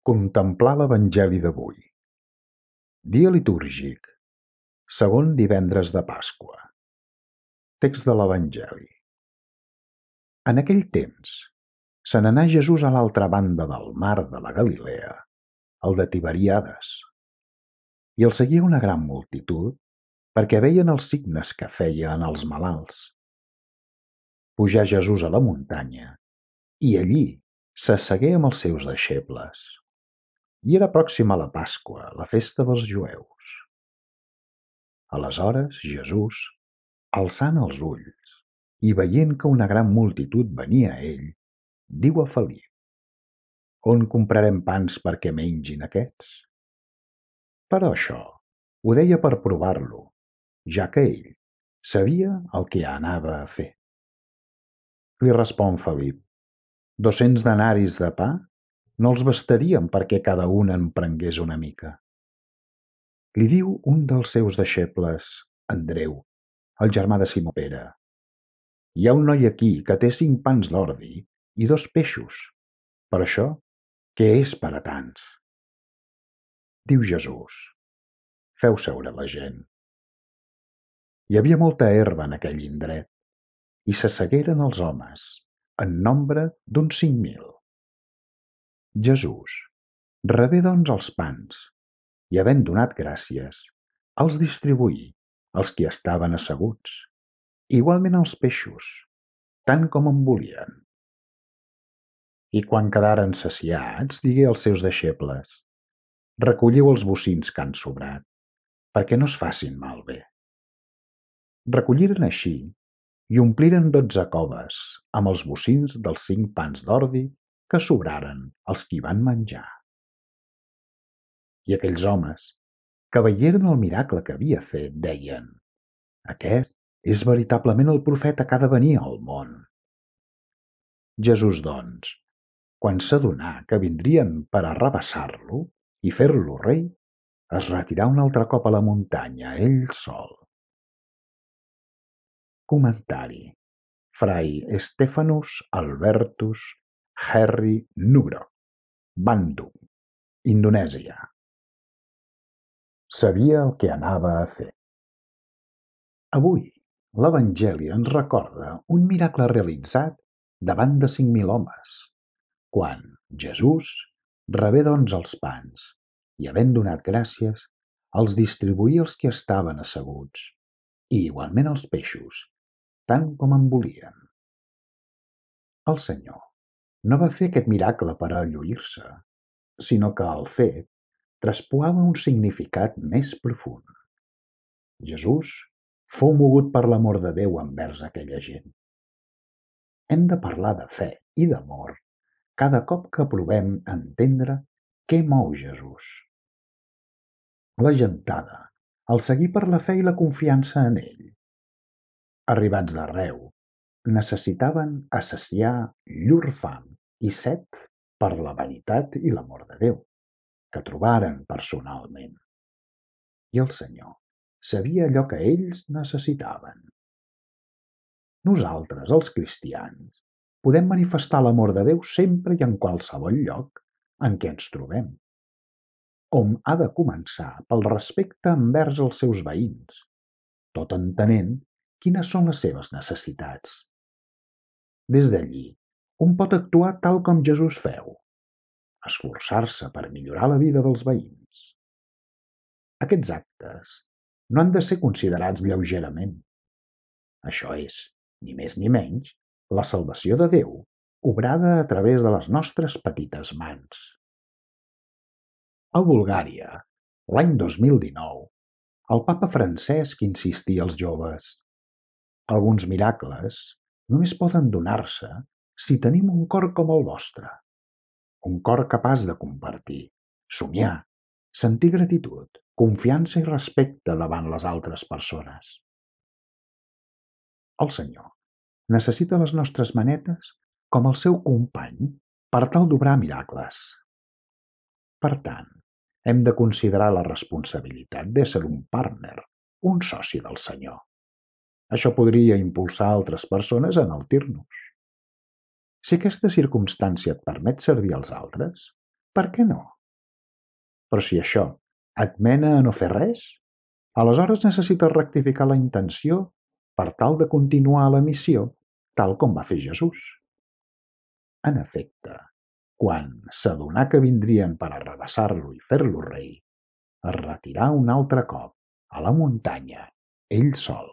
Contemplar l'Evangeli d'avui. Dia litúrgic, segon divendres de Pasqua. Text de l'Evangeli. En aquell temps, se n'anà Jesús a l'altra banda del mar de la Galilea, el de Tiberíades. I el seguia una gran multitud, perquè veien els signes que feia en els malalts. Pujà Jesús a la muntanya, i allí s'assegué amb els seus deixebles. I era pròxima la Pasqua, la festa dels jueus. Aleshores Jesús, alçant els ulls i veient que una gran multitud venia a ell, diu a Felip: «On comprarem pans perquè mengin aquests?» Però això ho deia per provar-lo, ja que ell sabia el que anava a fer. Li respon Felip: 200 denaris de pa no els bastarien perquè cada un en prengués una mica. Li diu un dels seus deixebles, Andreu, el germà de Simó Pere: «Hi ha un noi aquí que té 5 pans d'ordi i 2 peixos. Per això, què és per a tants?» Diu Jesús: «Feu seure la gent». Hi havia molta herba en aquell indret, i s'assegueren els homes, en nombre d'uns 5.000. Jesús rebé doncs els pans, i havent donat gràcies, els distribuí als qui estaven asseguts, igualment els peixos, tant com en volien. I quan quedaren saciats, digué als seus deixebles: «Recolliu els bocins que han sobrat, perquè no es facin malbé». Recolliren així i ompliren 12 coves amb els bocins dels 5 pans d'ordi que sobraren als qui van menjar. I aquells homes, que veieren el miracle que havia fet, deien: «Aquest és veritablement el profeta que ha de venir al món». Jesús, doncs, quan s'adonà que vindrien per arrabassar-lo i fer-lo rei, es retirà un altre cop a la muntanya, ell sol. Comentari: Fray Stephanus Albertus Herri Nugroho, Bandung, Indonèsia. Sabia el que anava a fer. Avui, l'Evangeli ens recorda un miracle realitzat davant de 5.000 homes, quan Jesús rebé doncs els pans i, havent donat gràcies, els distribuí als qui estaven asseguts, i igualment els peixos, tant com en volien. El Senyor no va fer aquest miracle per a lluir-se, sinó que el fet traspuava un significat més profund. Jesús fou mogut per l'amor de Déu envers aquella gent. Hem de parlar de fe i d'amor cada cop que provem entendre què mou Jesús. La gentada el seguí per la fe i la confiança en ell. Arribats d'arreu, necessitaven assaciar llur fam i set per la veritat i l'amor de Déu, que trobaren personalment. I el Senyor sabia allò que ells necessitaven. Nosaltres, els cristians, podem manifestar l'amor de Déu sempre i en qualsevol lloc en què ens trobem. Hom ha de començar pel respecte envers els seus veïns, tot entenent quines són les seves necessitats. Des d'allí, un pot actuar tal com Jesús feu, esforçar-se per millorar la vida dels veïns. Aquests actes no han de ser considerats lleugerament. Això és, ni més ni menys, la salvació de Déu, obrada a través de les nostres petites mans. A Bulgària, l'any 2019, el papa Francesc insistia als joves: «Alguns miracles només poden donar-se si tenim un cor com el vostre, un cor capaç de compartir, somiar, sentir gratitud, confiança i respecte davant les altres persones». El Senyor necessita les nostres manetes com el seu company per tal d'obrar miracles. Per tant, hem de considerar la responsabilitat d'ésser un partner, un soci del Senyor. Això podria impulsar altres persones a enaltir-nos. Si aquesta circumstància et permet servir als altres, per què no? Però si això et mena a no fer res, aleshores necessites rectificar la intenció per tal de continuar la missió, tal com va fer Jesús. En efecte, quan s'adonà que vindrien per arrabassar-lo i fer-lo rei, es retirà un altre cop a la muntanya, ell sol.